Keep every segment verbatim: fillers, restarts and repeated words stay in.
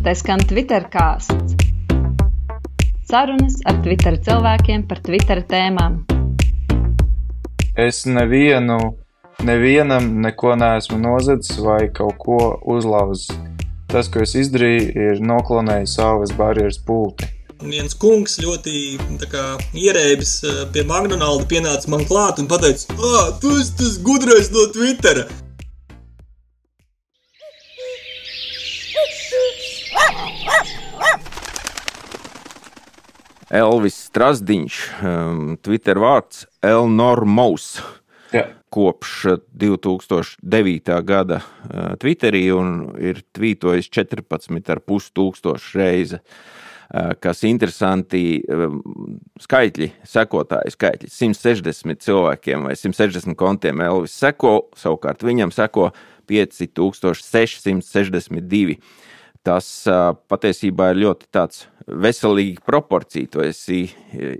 Te skan Twittercāsts. Sarunas ar Twitter cilvēkiem par Twitter tēmām. Es nevienu, nevienam neko neesmu nozadzis vai kaut ko uzlauzis. Tas, ko es izdarīju, ir noklonējis savas barjeras pulti. Viens kungs ļoti tā kā ierēbis pie McDonalda pienāca man klāt un pateica: "Ā, tu esi tas gudrais no Twittera!" Elvis Strasdiņš, um, Twitter vārds Elnormous, Jā. kopš divi tūkstoši devītā gada uh, Twitterī un ir tvītojis četrpadsmit ar pus tūkstoši reizi. Uh, kas interesanti, um, skaitļi, sekotāji skaitļi, simt sešdesmit cilvēkiem vai simt sešdesmit kontiem Elvis seko, savukārt viņam seko pieci tūkstoši seši simti sešdesmit divi. Tas uh, patiesībā ir ļoti tāds veselīgi proporcija, tu esi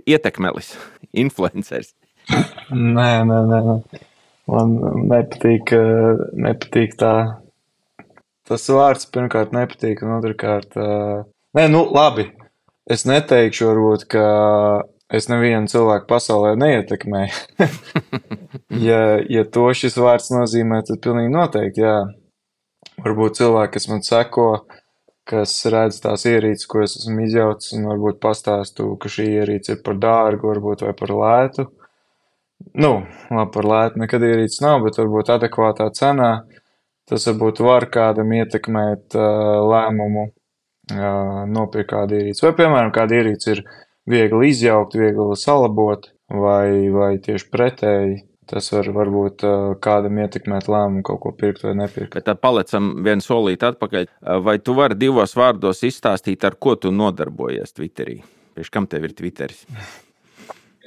ietekmelis, influenceris. Nē, nē, nē, nē. Man nepatīk, nepatīk tā. Tas vārds pirmkārt nepatīk, un otrkārt... Nē, nu, labi. Es neteikšu varbūt, ka es nevienu cilvēku pasaulē neietekmēju. ja, ja to šis vārds nozīmē, tad pilnīgi noteikti, jā. Varbūt cilvēki, kas man seko, kas redz tās ierīces, ko es esmu izjaucis, un varbūt pastāstu, ka šī ierīce ir par dārgu, varbūt vai par lētu. Nu, labi, par lētu nekad ierīces nav, bet varbūt adekvātā cenā. Tas varbūt var kādam ietekmēt uh, lēmumu uh, nopirkt kādu ierīci. Vai, piemēram, kāda ierīce ir viegli izjaukt, viegli salabot, vai, vai tieši pretēji. Tas var varbūt kādam ietekmēt lēmumu kaut ko pirkt vai nepirkt. Bet tad palecam vienu solīt atpakaļ. Vai tu vari divos vārdos izstāstīt, ar ko tu nodarbojies Twitterī? Priekš kam tev ir Twitteris?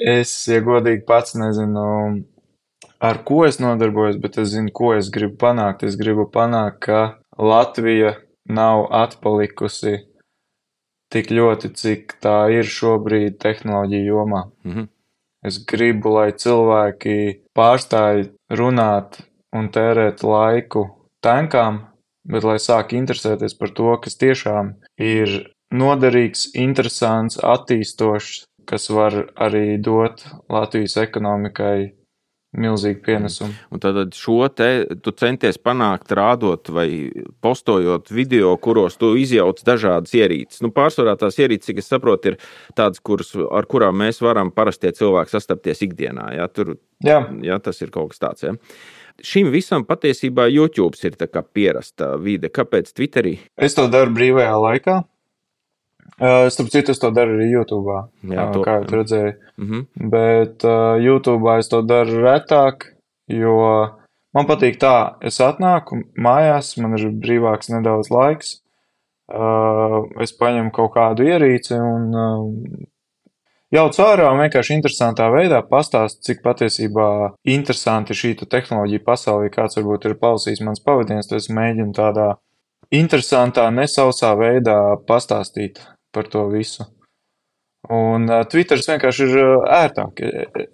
Es, ja godīgi pats nezinu, ar ko es nodarbojos, bet es zinu, ko es gribu panākt. Es gribu panākt, ka Latvija nav atpalikusi tik ļoti, cik tā ir šobrīd tehnoloģiju jomā. Mhm. Es gribu, lai cilvēki pārstāj runāt un tērēt laiku tankām, bet lai sāk interesēties par to, kas tiešām ir noderīgs, interesants, attīstošs, kas var arī dot Latvijas ekonomikai milzīgu pienesumu. Un tad šo te tu centies panākt rādot vai postojot video, kuros tu izjauc dažādas ierīces. Nu, pārsvarā tās ierīces, cik es saprotu, ir tādas, kuras, ar kurām mēs varam parastie cilvēki sastapties ikdienā. Ja? Tur, jā. Ja, tas ir kaut kas tāds. Ja? Šim visam patiesībā YouTube ir tā kā pierasta vide. Kāpēc Twitterī? Es to daru brīvajā laikā. Uh, starp citu, es to daru arī YouTube'ā, Jā, to, kā jau redzēju. Mm-hmm. Bet uh, YouTube'ā es to daru retāk, jo man patīk tā, es atnāku mājās, man ir brīvāks nedaudz laiks, uh, es paņemu kaut kādu ierīci un uh, jaucu ārā un vienkārši interesantā veidā pastāstu, cik patiesībā interesanti šī tehnoloģija pasaulē, kāds varbūt ir klausījis mans pavadiens, tad es mēģinu tādā interesantā, nesausā veidā pastāstīt par to visu. Un uh, Twitters vienkārši ir uh, ērtāk.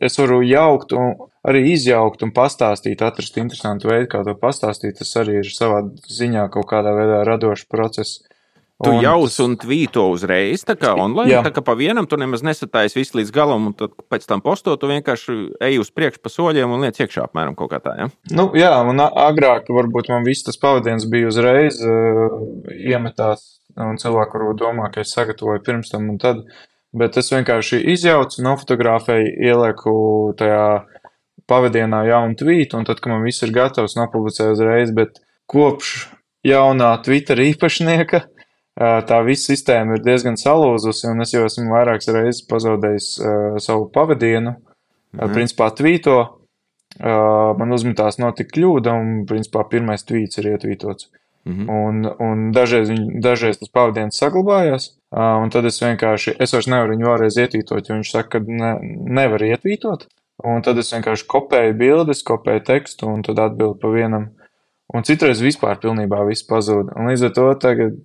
Es varu jaukt un arī izjaukt un pastāstīt, atrast interesantu veidu, kā to pastāstīt. Tas arī ir savā ziņā kaut kādā veidā radošs process. Tu un jauc tas... un tvīto uzreiz, tā kā online, Jā. tā kā pa vienam tu nemaz nesatājies visu līdz galam, un tad pēc tam posto tu vienkārši ej uz priekšu pa soļiem un liec iekšā apmēram kaut kā tā, ja? Nu, jā, un agrāk varbūt man viss tas pavadiens bija uzreiz uh, iemetās, un cilvēki varbūt domā, ka es sagatavoju pirms tam un tad, bet es vienkārši izjaucu, nofotografēju, ielieku tajā pavadienā jaunu tvītu, un tad, kad man viss ir gatavs, nopublicēju uzreiz, bet kopš jaunā Twitter īpašnieka tā visa sistēma ir diezgan salūzusi, un es jau esmu vairākas reizes pazaudējis uh, savu pavadienu. Mhm. Principā tvīto, uh, man uzmetās notika kļūda, un principā pirmais tvīts ir ietvītots. Mhm. Un, un dažreiz, viņ, dažreiz tas pavadiens saglabājās, uh, un tad es vienkārši, es vairs nevaru viņu vēlreiz ietvītot, jo viņš saka, ka ne, nevar ietvītot. Un tad es vienkārši kopēju bildes, kopēju tekstu, un tad atbildu pa vienam. Un citreiz vispār pilnībā viss pazūd. Un līdz ar to tagad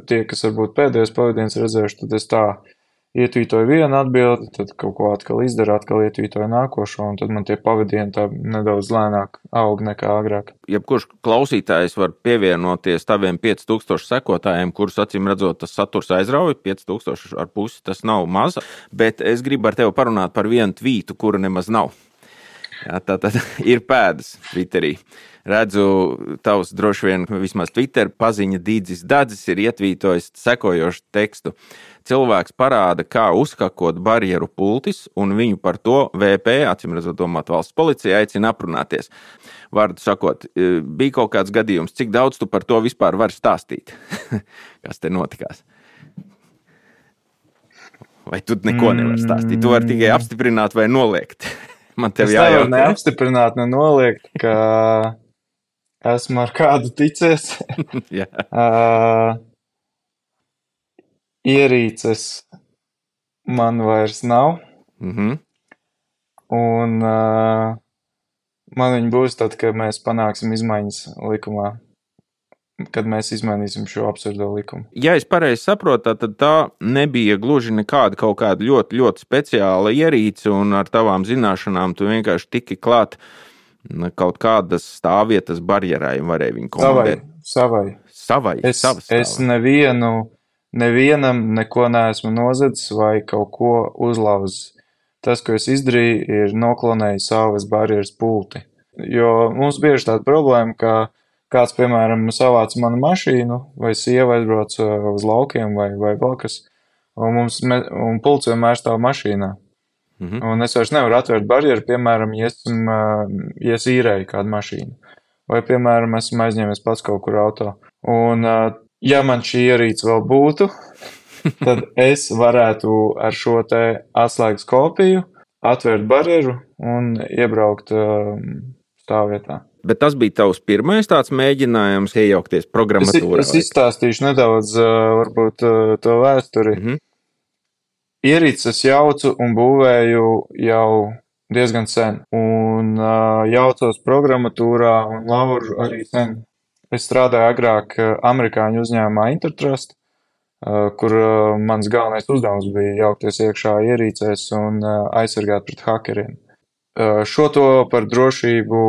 tie, kas varbūt pēdējos pavadiens redzējuši, tad es tā ietvītoju vienu atbildi, tad kaut ko atkal izdara, atkal ietvītoju nākošo, un tad man tie pavadieni tā nedaudz lēnāk aug nekā agrāk. Jebkurš klausītājs var pievienoties taviem pieci tūkstoši sekotājiem, kurus acīm redzot tas saturs aizrauja, pieci tūkstoši ar pusi tas nav maz, bet es gribu ar tevi parunāt par vienu tvītu, kura nemaz nav. Jā, tā tad ir pēdas Twitterī. Redzu, tavs droši vien vismaz Twitter paziņa Dīdzis Dadzis ir ietvītojis sekojošu tekstu. Cilvēks parāda, kā uzhakot barjeru pultis, un viņu par to V P, acīm redzot domāt valsts policija, aicina aprunāties. Vārdu sakot, bija kaut kāds gadījums, cik daudz tu par to vispār vari stāstīt? Kas te notikās? Vai tu neko nevar stāstīt? Tu vari tikai apstiprināt vai noliegt? Man tev es jājautā. Es nevaru neapstiprināt, ne noliegt, ka esmu ar kādu ticies. Jā. uh, ierīces man vairs nav. Mhm. Un uh, man viņi būs tad, kad mēs panāksim izmaiņas likumā. Kad mēs izmainīsim šo absurdo likumu. Ja es pareizi saprotu, tad tā nebija gluži nekāda kaut kāda ļoti, ļoti speciāla ierīce, un ar tavām zināšanām tu vienkārši tiki klāt kaut kādas stāvvietas barjerai un varēja viņu komandēt. Savai. Savai. Es, savas es nevienu, nevienam neko neesmu nozadzis vai kaut ko uzlauzis. Tas, ko es izdarīju, ir noklonēju savas barjeras pulti. Jo mums bieži tāda problēma, ka kāds, piemēram, savāc manu mašīnu, vai sieva aizbrauc uz laukiem, vai, vai vēl kas, un, mums, un pults vienmēr stāv mašīnā. Mm-hmm. Un es vairs nevaru atvērt barjeru, piemēram, ja esmu, ja es īrēju kādu mašīnu. Vai, piemēram, esmu aizņēmies pats kaut kur auto. Un, ja man šī ierīce vēl būtu, tad es varētu ar šo te atslēgas kopiju atvērt barjeru un iebraukt stāvvietā. Bet tas bija tavs pirmais tāds mēģinājums iejaukties programmatūrā? Es, es izstāstīšu nedaudz, varbūt, to vēsturi. Mm-hmm. Ierīces jaucu un būvēju jau diezgan sen. Un jaucos programmatūrā un lauru arī sen. Es strādāju agrāk amerikāņu uzņēmumā Intertrust, kur mans galvenais uzdevums bija jaukties iekšā ierīcēs un aizsargāt pret hakeriem. Šo to par drošību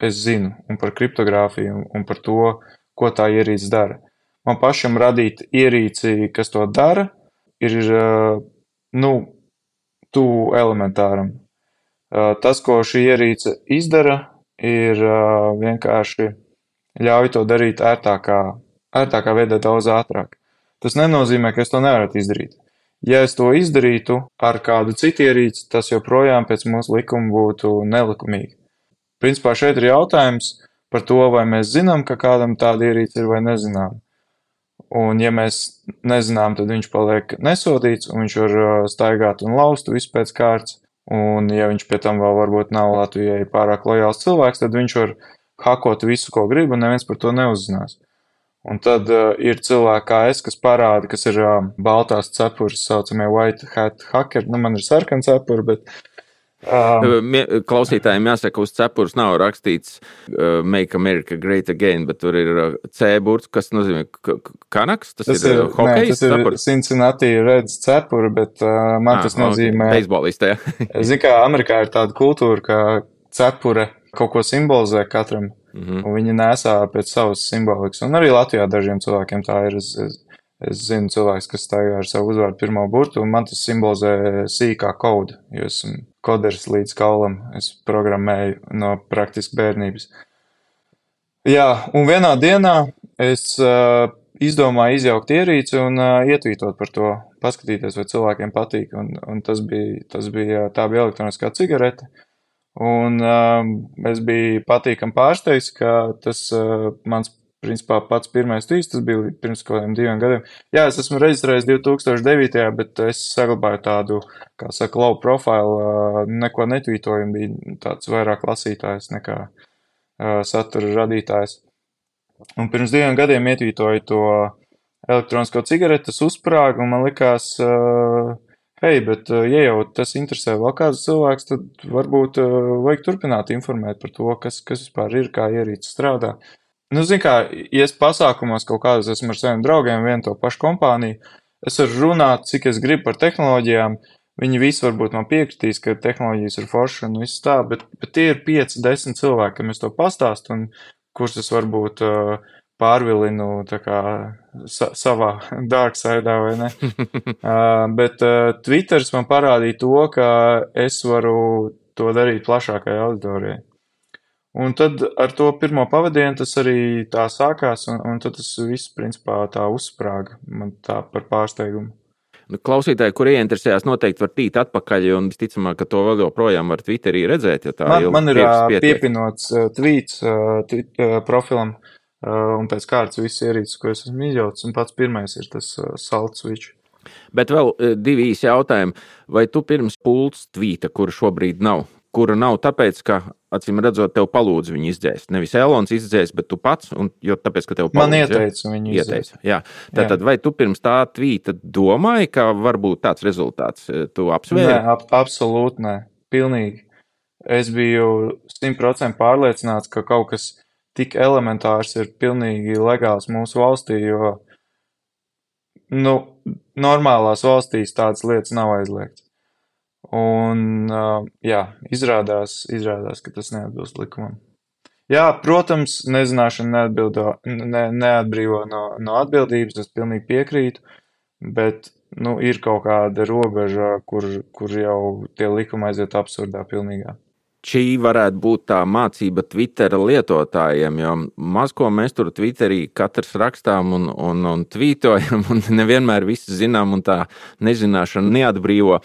es zinu, un par kriptogrāfiju, un par to, ko tā ierīce dara. Man pašam radīt ierīci, kas to dara, ir, nu, tuvu elementāram. Tas, ko šī ierīce izdara, ir vienkārši ļauj to darīt ērtākā, ērtākā veidā daudz ātrāk. Tas nenozīmē, ka es to nevaru izdarīt. Ja es to izdarītu ar kādu citu ierīci, tas joprojām pēc mūsu likuma būtu nelikumīgi. Principā šeit ir jautājums par to, vai mēs zinām, ka kādam tāda ierīce ir vai nezinām. Un ja mēs nezinām, tad viņš paliek nesodīts un viņš var staigāt un laust visu pēc kārtas. Un ja viņš pie tam vēl varbūt nav Latvijai pārāk lojāls cilvēks, tad viņš var hakot visu, ko grib, un neviens par to neuzzinās. Un tad uh, ir cilvēki kā es, kas parāda, kas ir uh, baltās cepures, saucamie white hat hackeri. Nu, man ir sarkana cepura, bet... Um, Klausītājiem jāsaka, uz cepures nav rakstīts uh, Make America Great Again, bet tur ir uh, C burts, kas nozīmē kanaks, tas, tas ir, ir hokejs cepura. Tas ir Cincinnati Reds cepura, bet uh, man ah, tas nozīmē... Beisbolistē, jā. Zin kā, Amerikā ir tāda kultūra, ka cepure kaut ko simbolizē katram. Mm-hmm. Un viņi nesā pēc savas simbolikas. Un arī Latvijā dažiem cilvēkiem tā ir. Es, es, es zinu cilvēks, kas staigā ar savu uzvārdu pirmo burtu, un man tas simbolizē sīkā kodu, jo esmu koders līdz kaulam. Es programmēju no praktiski bērnības. Jā, un vienā dienā es uh, izdomāju izjaukt ierīci un uh, ietvītot par to, paskatīties, vai cilvēkiem patīk. Un, un tas bija, tas bija, tā bija elektroniskā cigarete. Un um, es biju patīkam pārsteigts, ka tas uh, mans, principā, pats pirmais tvīts, tas bija pirms kaut kādiem diviem gadiem. Jā, es esmu reģistrējis divi tūkstoši devītajā, bet es saglabāju tādu, kā saka, low profile, uh, neko netvītoju, bija tāds vairāk lasītājs nekā uh, satura radītājs. Un pirms diviem gadiem ietvītoju to elektronisko cigareti, tas uzsprāga, un man likās... Uh, Hei, bet, ja jau tas interesē vēl kāds cilvēks, tad varbūt uh, vajag turpināt informēt par to, kas, kas vispār ir, kā ierīce strādā. Nu, zin kā, ja es pasākumos kaut kādas esmu ar saviem draugiem, vienu to pašu kompāniju, es varu runāt, cik es gribu par tehnoloģijām. Viņi visi varbūt man piekritīs, ka tehnoloģijas ir forši un viss tā, bet, bet tie ir pieci, desmit cilvēki, kam es to pastāstu un kurus es varbūt uh, pārvilinu tā kā sa savā dark side'ā vai ne. uh, bet uh, Twitters man parādīja to, ka es varu to darīt plašākai auditorijai. Un tad ar to pirmo pavadienu tas arī tā sākās, un, un tad tas viss principā tā uzsprāga man tā par pārsteigumu. Klausītāji, kur ieinteresējās, noteikti var tīt atpakaļ, un visticamāk, ka to vēl joprojām var Twitterī redzēt, ja tā man, man ir pietiek. Piepinots uh, tweets uh, tweet, uh, profilam, uh, un pēc kārtas viss ierīces, ko es esmu izjauts, un pats pirmais ir tas uh, salt switch. Bet vēl uh, divi īsi jautājumi. Vai tu pirms pults tvīta, kura šobrīd nav, kura nav tāpēc, ka, acīm redzot, tev palūdz viņu izdzēst? Nevis Elons izdzēst, bet tu pats, un, jo tāpēc, ka tev palūdz. Man ieteica ja? viņu izdzēst. Jā. Tātad, jā. Vai tu pirms tā tvīta domāji, ka varbūt tāds rezultāts tu apsvēri? Nē, ap, absolūti nē. Pilnīgi. Es biju simt procenti pārliecināts, ka kaut kas tik elementārs ir pilnīgi legāls mūsu valstī, jo, nu, normālās valstīs tādas lietas nav aizliegts. Un, uh, jā, izrādās, izrādās, ka tas neatbilst likumam. Jā, protams, nezināšana neatbildo, ne, neatbrīvo no, no atbildības, es pilnīgi piekrītu, bet, nu, ir kaut kāda robeža, kur, kur jau tie likumi aiziet absurdā pilnīgā. Šī varētu būt tā mācība Twittera lietotājiem, jo maz ko mēs tur Twitterī katrs rakstām un, un, un tvītojam, un nevienmēr visi zinām, un tā nezināšana neatbrīvo.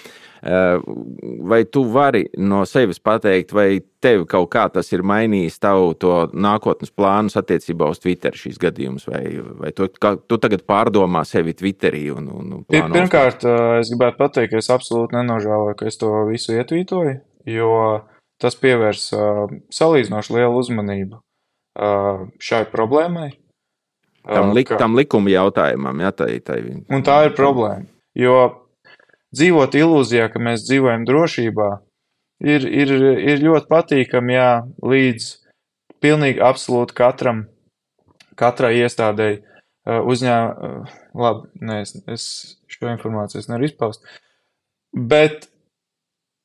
Vai tu vari no sevis pateikt, vai tevi kaut kā tas ir mainījis tavu to nākotnes plānus attiecībā uz Twitter šīs gadījumus, vai, vai tu, kā, tu tagad pārdomā sevi Twitterī? Un, un plānos? Pirmkārt, es gribētu pateikt, ka es absolūti nenožēloju, ka es to visu ietvītoju, jo tas pievērs salīdzinoši lielu uzmanību šai problēmai. Tam, lik, ka... tam likuma jautājumam, jā, tai, tai... Un tā ir problēma, jo dzīvot ilūzijā, ka mēs dzīvojam drošībā, ir, ir, ir ļoti patīkami, jā, līdz pilnīgi absolūti katram, katrai iestādēji uzņēma, labi, ne, es, es šo informāciju es nevaru izpaust, bet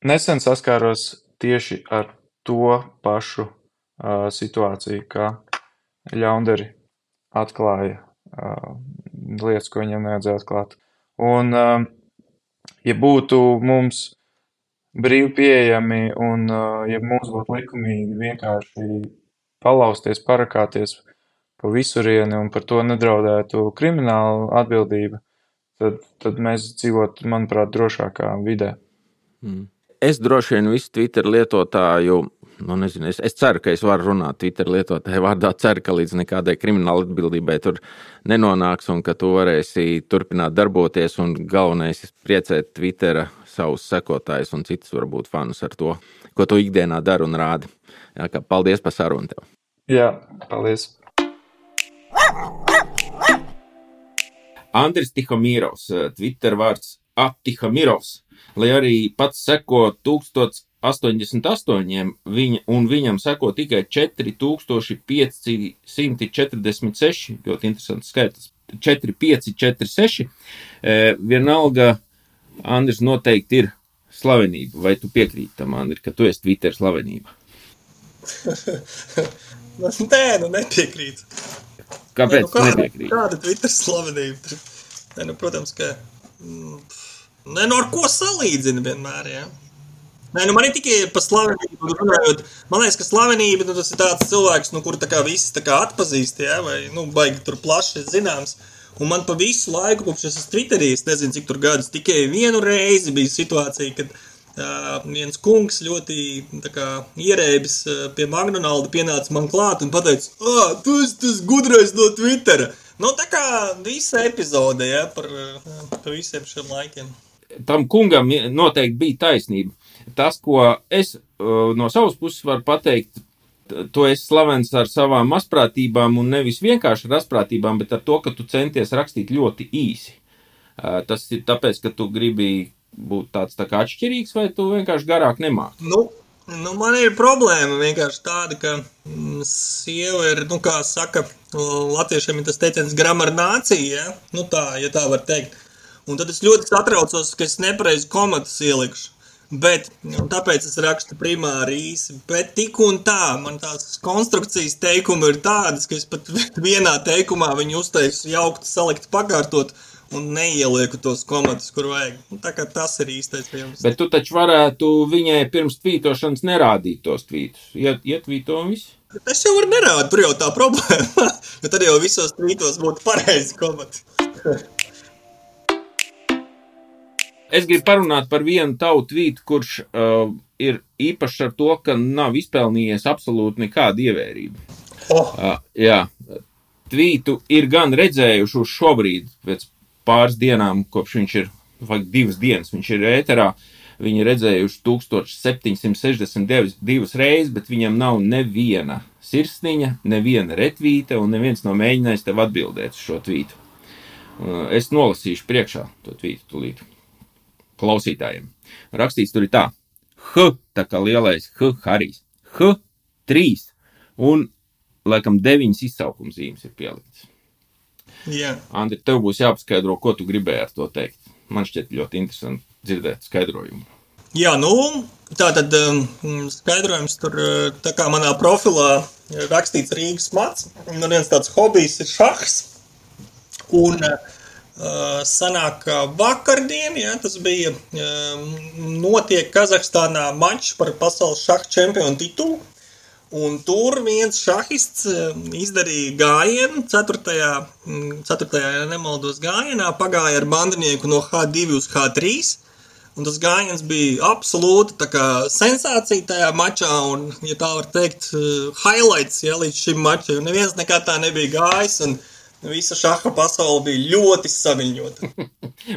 nesen saskāros tieši ar to pašu uh, situāciju, kā ļaundari atklāja uh, lietas, ko viņam nevajadzēja atklāt. Un, uh, ja būtu mums brīvi pieejami un uh, ja mums būtu likumīgi vienkārši palausties, parakāties pa visurieni un par to nedraudētu kriminālu atbildību, tad, tad mēs dzīvotu, manuprāt, drošākā vidē. Mm. Es droši vien visu Twitter lietotāju, nu nezinu, es, es ceru, ka es varu runāt Twitter lietotāju vārdā, ceru, ka līdz nekādai krimināla atbildībai tur nenonāks un ka tu varēsi turpināt darboties un galvenais priecēt Twittera savus sekotājus un citus varbūt fanus ar to, ko tu ikdienā dari un rādi. Jā, kā paldies par sarunu tev. Jā, paldies. Andris Tihomīrovs, Twitter vārds @Tihomīrovs. Lai arī pats seko tūkstoš astoņdesmit astoņiem, viņa, un viņam seko tikai četri tūkstoši pieci simti četrdesmit seši, ļoti interesants skaitlis, četri pieci četri seši, e, vienalga, Andris noteikti ir slavenība. Vai tu piekrīti tam, Andri, ka tu esi Twitter slavenība? Nē, nu nepiekrītu. Kāpēc Nē, nu, kāda, nepiekrīti? Kāda Twitter slavenība? Nē, nu, protams, ka... Mm, Nē, nu ar ko salīdzina vienmēr, jā? Nē, nu man ir tikai par slavenību runājot. Man liekas, ka slavenība, nu tas ir tāds cilvēks, nu kur tā kā visi tā kā atpazīst, jā, vai, nu, baigi tur plaši zināms. Un man pa visu laiku, kopš es esmu Twitterī, es nezinu, cik tur gadus, tikai vienu reizi bija situācija, kad uh, viens kungs ļoti, tā kā, ierēbis uh, pie McDonalda pienāca man klāt un pateica, ā, tu esi tas gudrais no Twittera. Nu, tā kā visa epizode, jā, par, par visiem šiem laikiem. Tam kungam noteikti bija taisnība. Tas, ko es no savas puses varu pateikt, tu esi slavens ar savām mazprātībām un nevis vienkārši ar mazprātībām, bet ar to, ka tu centies rakstīt ļoti īsi. Tas ir tāpēc, ka tu gribi būt tāds tā kā atšķirīgs, vai tu vienkārši garāk nemāki? Nu, nu, man ir problēma vienkārši tāda, ka mm, sieva ir, nu, kā saka, latviešiem ir tas teiciens grammar nācija, ja? Nu tā, ja tā var teikt. Un tad es ļoti satraucos, ka es nepareizi komatas ielikšu. Bet, un tāpēc es rakstu primāri īsi, bet tik un tā, man tās konstrukcijas teikumi ir tādas, ka es pat vienā teikumā viņu uzteicu jaukti, salikt, pakārtot un neielieku tos komatus, kur vajag. Un tā kā tas ir īstais jums. Bet tu taču varētu viņai pirms tvītošanas nerādīt tos tvītus. Iet, ietvīto un viss? Es jau varu nerādu, tur jau tā problēma, jo tad jau visos tvītos būtu pareizi komati. Es gribu parunāt par vienu tavu tvītu, kurš uh, ir īpašs ar to, ka nav izpelnījies absolūti nekāda ievērība. Oh. Uh, jā, tvītu ir gan redzējuši uz šobrīd, pēc pāris dienām, kopš viņš ir, vai divas dienas, viņš ir ēterā, viņi redzējuši tūkstoš septiņsimt sešdesmit divas reizes, bet viņam nav neviena sirsniņa, neviena retvīta un neviens nav mēģinājis tev atbildēt uz šo tvītu. Uh, es nolasīšu priekšā to tvītu tulīt. Klausītājiem. Rakstīts tur ir tā. H, tā kā lielais H, Harijs. H, trīs un, laikam, deviņas izsaukums zīmes ir pieliktas. Jā. Andri, tev būs jāpaskaidro, ko tu gribēji ar to teikt. Man šķiet ļoti interesanti dzirdēt skaidrojumu. Jā, nu, tā tad skaidrojums tur, tā kā manā profilā rakstīts Rīgas mats, un viens tāds hobijs ir šahs, un Uh, sanāk vakardien, ja, tas bija um, notiek Kazahstānā mačs par pasaules šaha čempionu titulu, un tur viens šahists izdarīja gājienu, ceturtajā, ceturtajā ja nemaldos gājienā, pagāja ar bandinieku no H divi uz H trīs, un tas gājiens bija absolūti tā kā sensācija tajā mačā, un, ja tā var teikt, highlights, ja, līdz šim mačam, neviens nekā tā nebija gājis, un visa šaha pasaule bija ļoti saviļņota.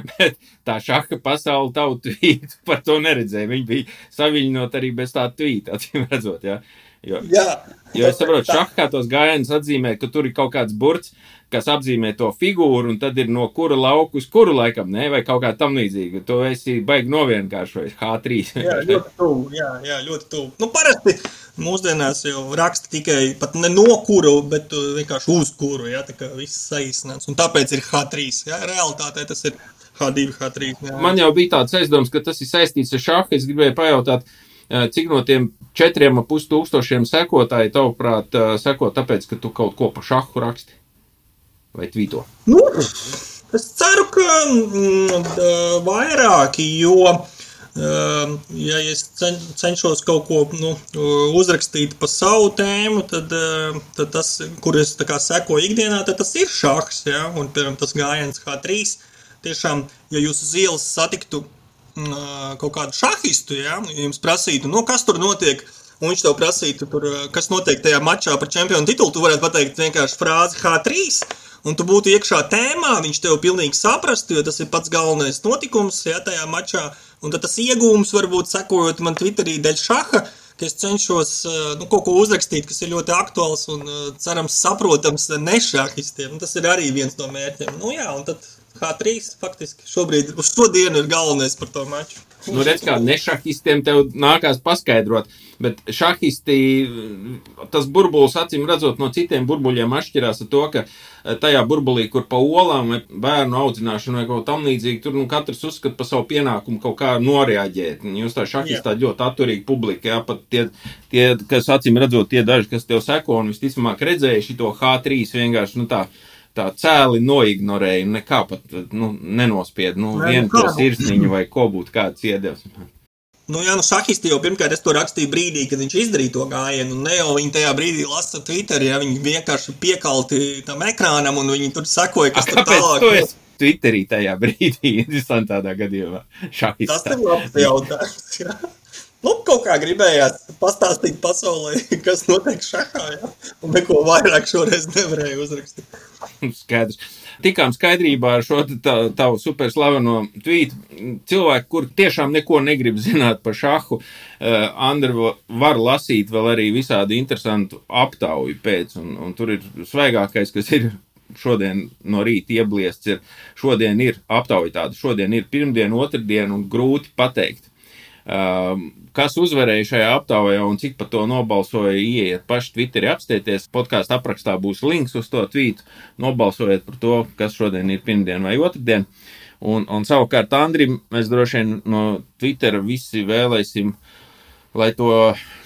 Bet tā šaha pasaule tavu tvītu par to neredzēja. Viņi bija saviļņot arī bez tā tvīta, atcīm redzot, jā. Jo, jā. Jo es saprotu, šahā tos gājienus atzīmē, ka tur ir kaut kāds burts, kas apzīmē to figūru, un tad ir no kura lauku uz kuru laikam, ne, vai kaut kā tam līdzīga. To esi baigi novienkāršojas, H trīs. Jā, ļoti tuvu, jā, jā, ļoti tuvu. Nu, parasti mūsdienās jau raksta tikai pat ne no kuru, bet vienkārši uz kuru, jā, tā kā viss saīsināts. Un tāpēc ir H trīs, jā, realitātē tas ir H divi, H trīs. Jā. Man jau bija tāds aizdoms, ka tas ir saistīts ar šahu. Es gribēju pajautāt, cik no tiem četriem ap pus tūkstošiem sekotāji tavuprāt seko tāpēc, ka tu kaut ko pa šahu raksti? Vai tvīto? Nu, es ceru, ka mm, vairāki, jo, ja es cenšos kaut ko nu, uzrakstīt pa savu tēmu, tad, tad tas, kur es tā kā sekoju ikdienā, tad tas ir šahs, ja, un piemēram tas gājiens H trīs. Tiešām, ja jūs uz ielas satiktu kaut kādu šahistu, ja, jums prasītu, nu, kas tur notiek, un viņš tev prasītu, tur, kas notiek tajā mačā par čempionu titulu, tu varētu pateikt vienkārši frāzi H trīs, un tu būtu iekšā tēmā, viņš tev pilnīgi saprastu, jo tas ir pats galvenais notikums, ja, tajā mačā, un tad tas iegūms varbūt sekojot man Twitterī dēļ šaha, ka es cenšos nu, kaut ko uzrakstīt, kas ir ļoti aktuāls un cerams saprotams nešahistiem, tas ir arī viens no mērķiem. Nu jā, un tad H trīs faktiski šobrīd uz šo dienu ir galvenais par to maču. Nu, redz, kā nešahistiem tev nākās paskaidrot, bet šahisti, tas burbulis, acīm redzot, no citiem burbuļiem atšķirās ar to, ka tajā burbulī, kur pa olām vai bērnu audzināšanu vai kaut tam līdzīgi, tur nu, katrs uzskata par savu pienākumu kaut kā noreaģēt. Jūs tā šahistā yeah. ļoti atturīgi publika, jā, pat tie, tie, kas acīm redzot, tie daži, kas tev seko un visticamāk redzēja šito H trīs vienkārši, nu tā, tā cēli noignorēja, nekā pat nu, nenospied, nu, vienu to sirsniņu vai ko būtu kāds iedevs. Nu jā, nu šahisti jau pirmkārt es to rakstīju brīdī, kad viņš izdarīja to gājienu, un ne jau viņi tajā brīdī lasa Twitterī, ja viņi vienkārši piekalti tam ekrānam, un viņi tur sekoja, kas tur tālāk. Kāpēc tu esi Twitterī tajā brīdī, interesantādā gadījumā, šahistā? Tas ir labs jautājums, jā. Nu, kaut kā gribējās pastāstīt pasaulē, kas notiek šahā, jā, un neko vairāk šoreiz nevarēju uzrakstīt. Skaidrs. Tikām skaidrībā ar šo tavu superslaveno tvītu. Cilvēki, kur tiešām neko negrib zināt par šahu, uh, Andri var lasīt vēl arī visādi interesantu aptauju pēc, un, un tur ir svaigākais, kas ir šodien no rīta iebliests, ir šodien ir aptauja tāda, šodien ir pirmdien, otrdien un grūti pateikt. Uh, kas uzvarēja šajā aptaujā un cik par to nobalsoja, ieiet paši Twitterī apstieties, podkāstu aprakstā būs links uz to tvītu, nobalsojiet par to, kas šodien ir pirmdien vai otrdien. Un, un savukārt Andrim mēs droši vien no Twittera visi vēlēsim, lai to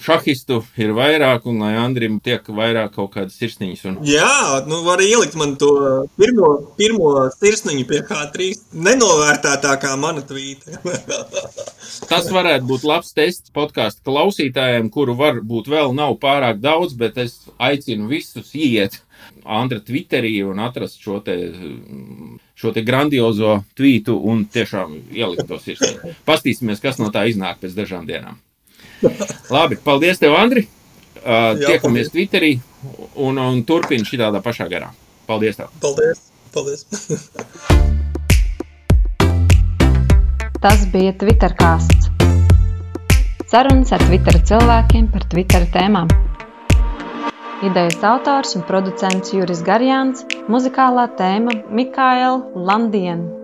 šahistu ir vairāk un lai Andrim tiek vairāk kaut kādas sirsniņas. Un... Jā, nu var ielikt man to pirmo, pirmo sirsniņu pie H trīs nenovērtētākā mana tvīta. Tas varētu būt labs tests podcastu klausītājiem, kuru varbūt vēl nav pārāk daudz, bet es aicinu visus iet Andra Twitterī un atrast šo te, šo te grandiozo tvītu un tiešām ielikt to sirsniņu. Pastīsimies, kas no tā iznāk pēc dažām dienām. Labi, paldies tev, Andri. Uh, Jā, tiekamies paldies. Twitterī un, un turpini šitādā pašā garā. Paldies tev. Paldies, paldies. Tas bija Twittercasts. Sarunas ar Twittera cilvēkiem par Twittera tēmām. Idejas autors un producents Juris Garjāns, muzikālā tēma Mikaela Landien.